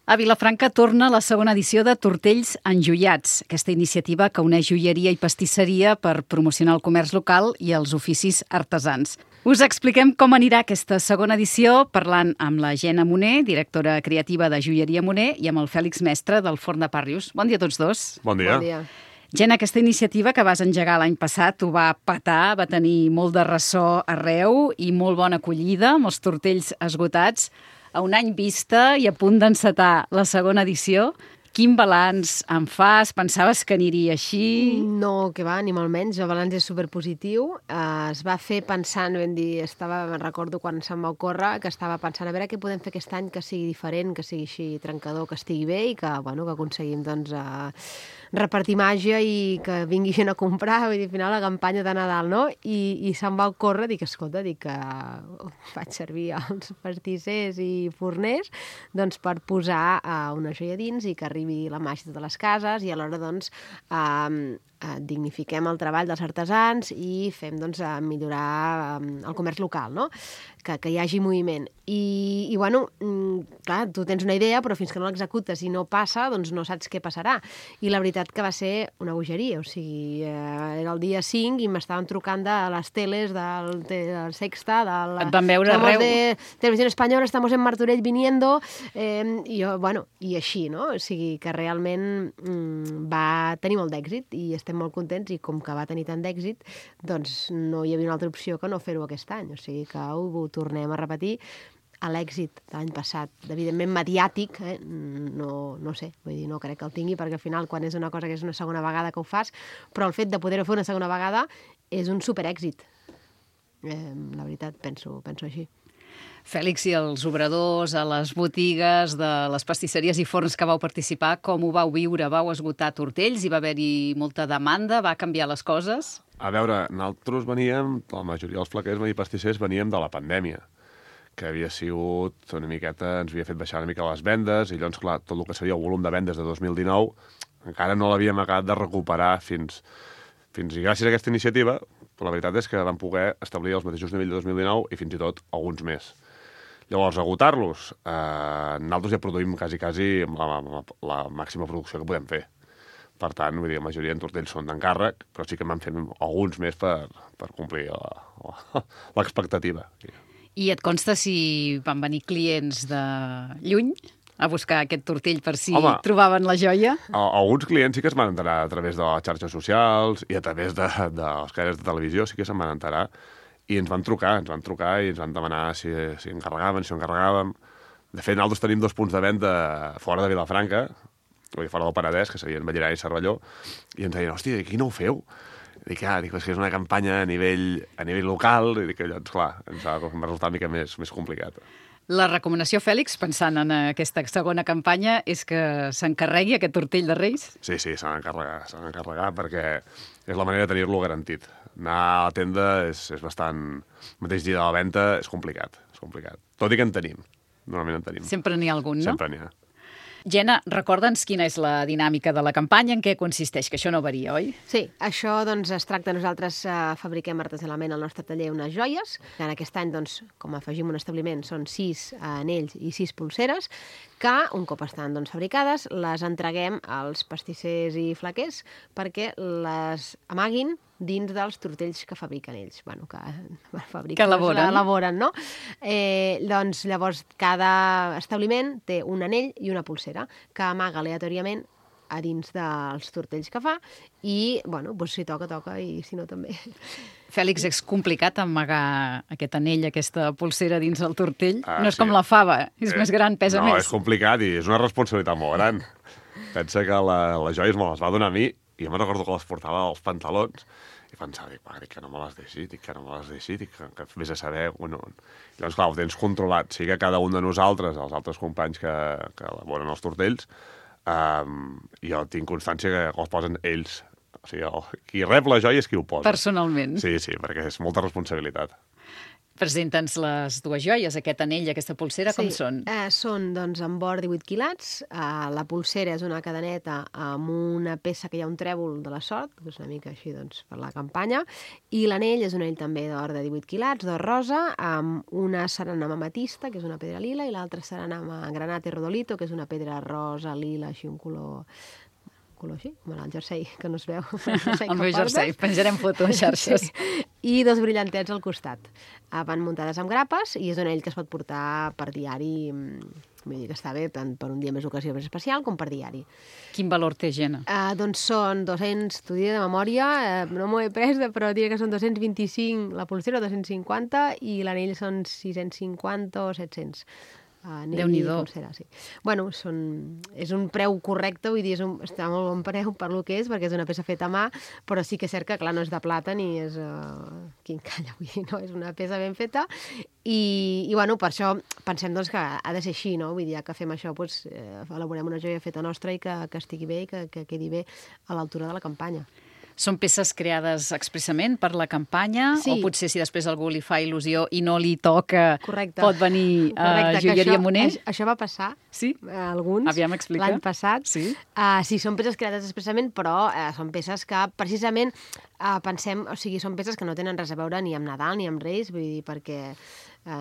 A Vilafranca torna la segona edició de Tortells Enjoiats, aquesta iniciativa que uneix joieria i pastisseria per promocionar el comerç local i els oficis artesans. Us expliquem com anirà aquesta segona edició parlant amb la Jenna Moner, directora creativa de Joieria Moner, i amb el Fèlix Mestre del Forn de Pàrrius. Bon dia a tots dos. Bon dia. Bon dia. Jenna, aquesta iniciativa que vas engegar l'any passat ho va petar, va tenir molt de ressò arreu i molt bona acollida, amb els tortells esgotats. A un any vista i a punt d'encetar la segona edició, quin balanç en fas? Pensaves que aniria així? No, que va, ni molt menys. El balanç és superpositiu. Es va fer pensant, me'n recordo quan se'm va ocórrer, que estava pensant a veure què podem fer aquest any que sigui diferent, que sigui així trencador, que estigui bé i que, bueno, que aconseguim doncs, repartir màgia i que vingui gent a comprar, vull dir, al final la campanya de Nadal, no? I se'm va ocórrer, dic, escolta, que faig servir els pastissers i forners doncs, per posar una joia dins i que arribi la màgia a totes les cases i alhora doncs, dignifiquem el treball dels artesans i fem doncs, millorar el comerç local, no? Que hi hagi moviment. I bueno, clar, tu tens una idea, però fins que no l'executes i no passa, doncs no saps què passarà. I la veritat que va ser una bogeria, o sigui, era el dia 5 i m'estaven trucant de les teles, del Sexta, Et van veure arreu. de Televisió Espanyola, estamos en Martorell viniendo, i jo, bueno, i així, no? O sigui, que realment va tenir molt d'èxit i estem molt contents i com que va tenir tant d'èxit, doncs no hi havia una altra opció que no fer-ho aquest any, o sigui que ho tornem a repetir. A l'èxit de l'any passat, evidentment mediàtic, no sé, vull dir, no crec que el tingui, perquè al final quan és una cosa que és una segona vegada que ho fas, però el fet de poder-ho fer una segona vegada és un superèxit. La veritat, penso així. Fèlix, i els obradors, a les botigues de les pastisseries i forns que vau participar, com ho vau viure? Vau esgotar tortells? Hi va haver-hi molta demanda? Va canviar les coses? A veure, nosaltres veníem, la majoria dels flaquers i pastissers veníem de la pandèmia, que havia sigut una miqueta, ens havia fet baixar una mica les vendes, i llavors, clar, tot el que seria el volum de vendes de 2019 encara no l'havíem acabat de recuperar fins i gràcies a aquesta iniciativa, però la veritat és que vam poder establir els mateixos nivells de 2019 i fins i tot alguns més. Llavors, agotar-los, nosaltres ja produïm quasi amb la màxima producció que podem fer. Per tant, vull dir, la majoria de tortells són d'encàrrec, però sí que en vam fer alguns més per complir l'expectativa. I et consta si van venir clients de lluny a buscar aquest tortell per si trobaven la joia? Alguns clients sí que es van enterar a través de les xarxes socials i a través de les cadenes de televisió, sí que se'n van enterar, i ens van trucar i ens van demanar si encarregaven, si no encarregàvem. De fet, nosaltres tenim 2 punts de venda fora de Vilafranca, fora del Penedès, que serien Ballarà i Cervelló, i ens deien, hòstia, aquí no ho feu? Dic, és que és una campanya a nivell local, i dic, llavors, clar, ens va resultar una mica més complicat. La recomanació, Fèlix, pensant en aquesta segona campanya, és que s'encarregui aquest tortell de Reis? Sí, s'ha d'encarregar perquè és la manera de tenir-lo garantit. Anar a la tenda és bastant... El mateix dia de la venda és complicat. Tot i que en tenim. Normalment en tenim. Sempre n'hi ha algun, no? Sempre n'hi ha. Jenna, recorda'ns quina és la dinàmica de la campanya, en què consisteix, que això no varia, oi? Sí, això doncs, es tracta, nosaltres fabriquem artesanalment al nostre taller unes joies. En aquest any, doncs, com afegim un establiment, són 6 anells i 6 pulseres, que un cop estan doncs, fabricades, les entreguem als pastissers i flaquers perquè les amaguin dins dels tortells que fabriquen ells. Bueno, que elaboren, no? Doncs llavors cada establiment té un anell i una pulsera que amaga aleatòriament a dins dels tortells que fa i, bueno, doncs si toca i si no també. Fèlix, és complicat amagar aquest anell, aquesta pulsera dins el tortell? No és com la fava, és més gran, pesa més. No, és complicat i és una responsabilitat molt gran. Pensa que les joies me les va donar a mi i jo me'n recordo que les portava als pantalons i pensava, dic que no me les deixi, que vés a saber... Bueno. Llavors, clar, ho tens controlat. Sí que cada un de nosaltres, els altres companys que elaboren els tortells, jo tinc constància que els posen ells. O sigui, qui rep la joia és qui ho posa. Personalment. Sí, perquè és molta responsabilitat. Presenta'ns les dues joies, aquest anell i aquesta pulsera, com són? Són, doncs, amb or 18 quilats. La pulsera és una cadeneta amb una peça que hi ha un trèvol de la sort, que és una mica així, doncs, per la campanya, i l'anell és un anell també d'or de 18 quilats, d'or rosa, amb una serena amb ametista, que és una pedra lila, i l'altra serena amb granate rodolito, que és una pedra rosa, lila, així un color així, com el jersei, que no es veu. El meu jersei, penjarem foto a xarxes. Sí. I dos brillantets al costat. Van muntades amb grapes i és un anell que es pot portar per diari, vull dir que està bé tant per un dia més ocasió més especial com per diari. Quin valor té, Gemma? Doncs són 200, t'ho diré de memòria, no m'ho he pres, però diré que són 225 la pulsera, 250, i l'anell són 650 o 700. Déu-n'hi-do. Sí. Bueno, és un preu correcte, vull dir, està molt bon preu per lo que és, perquè és una peça feta a mà, però sí que és cert que, clar, no és de plata ni és quincalla, vull dir, no, és una peça ben feta i bueno, per això pensem doncs, que ha de ser així, no? Vull dir, ja que fem això, doncs, elaborem una joia feta nostra i que estigui bé i que quedi bé a l'altura de la campanya. Són peces creades expressament per la campanya? Sí. O potser si després algú li fa il·lusió i no li toca, Correcte. pot venir a Joieria Moner? Això va passar, sí? Alguns, aviam, explica. L'any passat. Sí? Sí, són peces creades expressament, però són peces que precisament pensem, o sigui, són peces que no tenen res a veure ni amb Nadal ni amb Reis, vull dir, perquè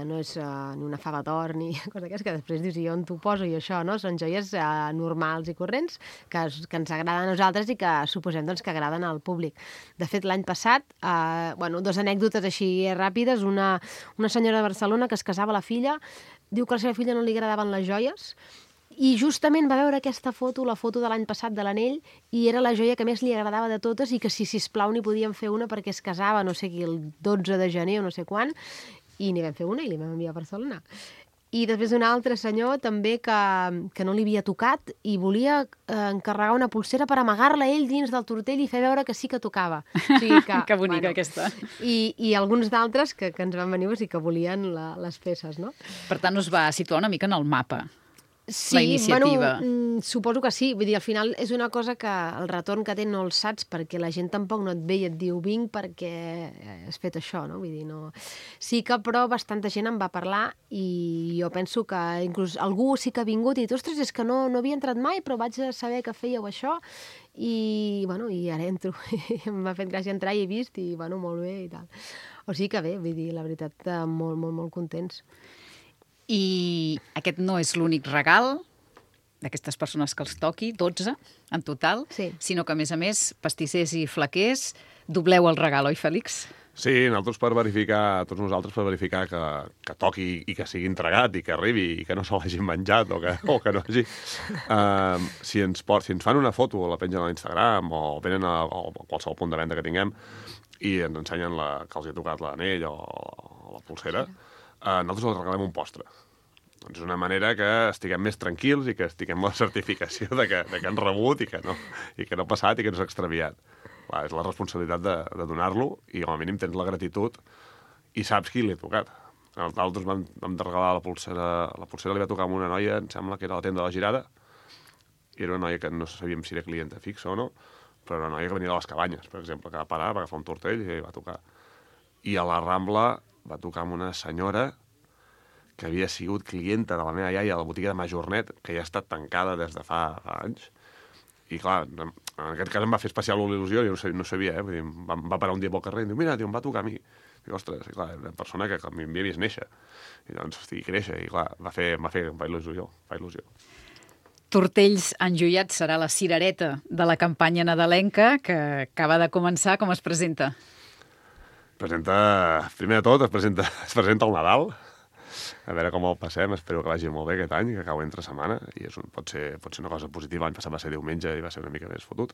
no és ni una fava d'or ni cosa d'aquestes que després dius, i on t'ho poso i això, no? Són joies normals i corrents que ens agraden a nosaltres i que suposem doncs, que agraden al públic. De fet, l'any passat, dos anècdotes així ràpides, una senyora de Barcelona que es casava la filla, diu que a la seva filla no li agradaven les joies, i justament va veure aquesta foto, la foto de l'any passat de l'anell, i era la joia que més li agradava de totes i que si sisplau n'hi podíem fer una perquè es casava, no sé qui, el 12 de gener o no sé quan, i n'hi vam fer una i li vam enviar a Barcelona. I després un altre senyor també que no li havia tocat i volia encarregar una pulsera per amagar-la ell dins del tortell i fer veure que sí que tocava. O sigui que bonica, aquesta. I alguns d'altres que ens van venir i que volien les peces, no? Per tant, us va situar una mica en el mapa. Sí, la iniciativa. Bueno, suposo que sí. Vull dir, al final és una cosa que el retorn que té no el saps perquè la gent tampoc no et ve i et diu vinc perquè has fet això, no? Vull dir, no... Sí que, però, bastanta gent em va parlar i jo penso que inclús algú sí que ha vingut i dit, ostres, és que no havia entrat mai, però vaig saber que fèieu això i, bueno, i ara entro. M'ha fet gràcia entrar i he vist i, bueno, molt bé i tal. O sigui que bé, vull dir, la veritat, molt, molt, molt contents. I aquest no és l'únic regal d'aquestes persones que els toqui, 12 en total, sí. Sinó que, a més, pastissers i flaquers, dobleu el regal, oi, Fèlix? Sí, nosaltres per verificar, tots nosaltres per verificar que toqui i que sigui entregat i que arribi i que no se l'hagin menjat o que no hagi... si ens fan una foto o la pengen a l'Instagram o venen a qualsevol punt de venda que tinguem i ens ensenyen que els ha tocat l'anell o la pulsera, nosaltres els regalem un postre. Doncs és una manera que estiguem més tranquils i que estiguem amb la certificació de que han rebut i que no ha passat i que no s'ha extraviat. Clar, és la responsabilitat de donar-lo i com a mínim tens la gratitud i saps qui li ha tocat. Nosaltres vam regalar la pulsera li va tocar a una noia, em sembla que era a la tenda de la Girada, i era una noia que no sabíem si era clienta fixa o no, però era una noia que venia de les Cabanyes, per exemple, que va parar, va agafar un tortell i va tocar. I a la Rambla va tocar amb una senyora que havia sigut clienta de la meva iaia a la botiga de Majornet, que ja ha estat tancada des de fa anys. I clar, en aquest cas em va fer especial il·lusió, jo no sabia, Vull dir, va parar un dia pel carrer i em diu, mira, em va tocar a mi. Dic, ostres, i clar, era una persona que m'havia vist néixer. I doncs, hosti, créixer, i clar, em fa il·lusió. Tortells enjoiats serà la cirereta de la campanya nadalenca que acaba de començar. Com es presenta? Primer de tot, es presenta el Nadal. A veure com el passem, espero que vagi molt bé aquest any, que acabo entre setmana, i pot ser una cosa positiva. L'any passat va ser diumenge i va ser una mica més fotut.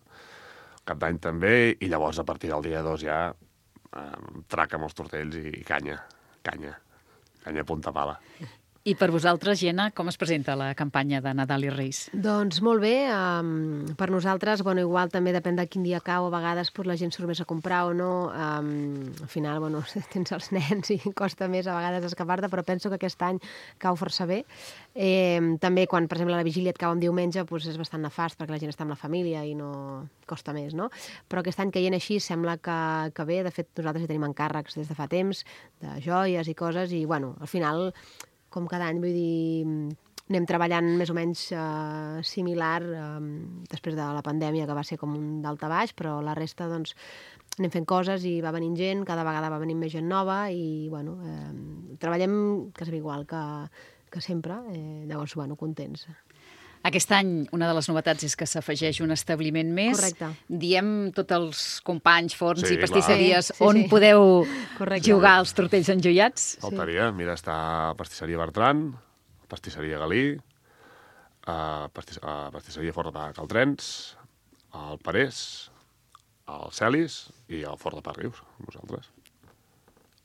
Cap d'any també, i llavors a partir del dia 2 ja traca amb els tortells i canya a punta pala. I per vosaltres, Gemma, com es presenta la campanya de Nadal i Reis? Doncs molt bé. Per nosaltres, igual també depèn de quin dia cau. A vegades la gent surt més a comprar o no. Al final, tens els nens i costa més a vegades escapar-te, però penso que aquest any cau força bé. També quan, per exemple, la vigília et cau en diumenge, és bastant nefast perquè la gent està amb la família i no costa més, no? Però aquest any caient així sembla que bé. De fet, nosaltres hi tenim encàrrecs des de fa temps, de joies i coses, i al final, com cada any, vull dir, anem treballant més o menys similar després de la pandèmia, que va ser com un daltabaix, però la resta, doncs, anem fent coses i va venint gent, cada vegada va venint més gent nova i, treballem quasi igual que sempre, llavors, contents. Aquest any, una de les novetats és que s'afegeix un establiment més. Correcte. Diem tots els companys, forns i Sí, pastisseries clar. on Sí. podeu Correcte. jugar als tortells enjoiats. Faltaria. Mira, està Pastisseria Bertran, Pastisseria Galí, Pastisseria Fort de Caltrens, el Parés, el Celis i el Fort de Parrius, nosaltres.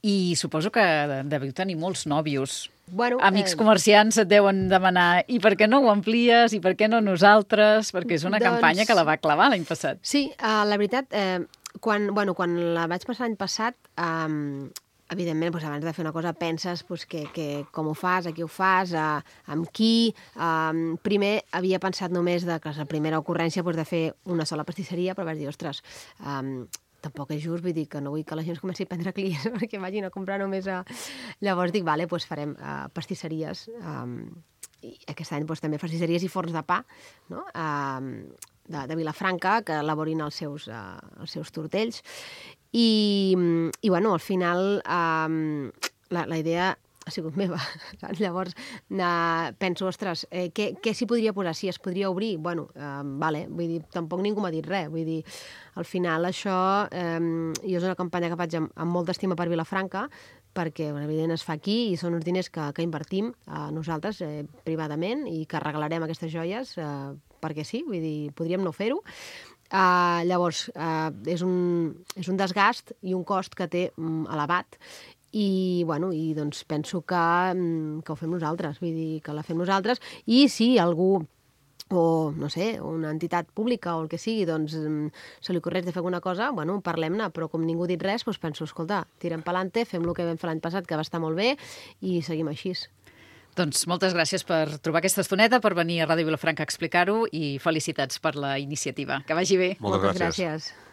I suposo que deveu tenir molts nòvios. Bueno, Amics comerciants et deuen demanar i per què no ho amplies, i per què no nosaltres? Perquè és una campanya que la va clavar l'any passat. Sí, la veritat, quan la vaig passar l'any passat, evidentment, abans de fer una cosa penses que com ho fas, a qui ho fas, amb qui. Primer havia pensat només que la primera ocurrència de fer una sola pastisseria, però vaig dir, ostres, tampoc és just, vull dir que no vull que la gent es comenci a prendre clients perquè vagin a comprar només Llavors dic, vale, doncs farem pastisseries, i aquest any també pastisseries i forns de pa, no? De Vilafranca, que elaborin els seus tortells. I al final la idea ha sigut meva. Llavors penso, ostres, què s'hi podria posar? Si es podria obrir? Vale, vull dir, tampoc ningú m'ha dit res. Vull dir, al final això, jo és una campanya que faig amb molta estima per Vilafranca, perquè, evident, es fa aquí i són uns diners que invertim nosaltres privadament i que regalarem aquestes joies perquè sí, vull dir, podríem no fer-ho. Llavors, és un desgast i un cost que té elevat i doncs penso que ho fem nosaltres, vull dir, que la fem nosaltres, i si algú o, no sé, una entitat pública o el que sigui, doncs se li ocorreix de fer alguna cosa, parlem-ne, però com ningú ha dit res, doncs penso, escolta, tirem pelante, fem el que vam fer l'any passat, que va estar molt bé, i seguim així. Doncs moltes gràcies per trobar aquesta estoneta, per venir a Ràdio Vilafranca a explicar-ho i felicitats per la iniciativa. Que vagi bé. Moltes gràcies. Gràcies.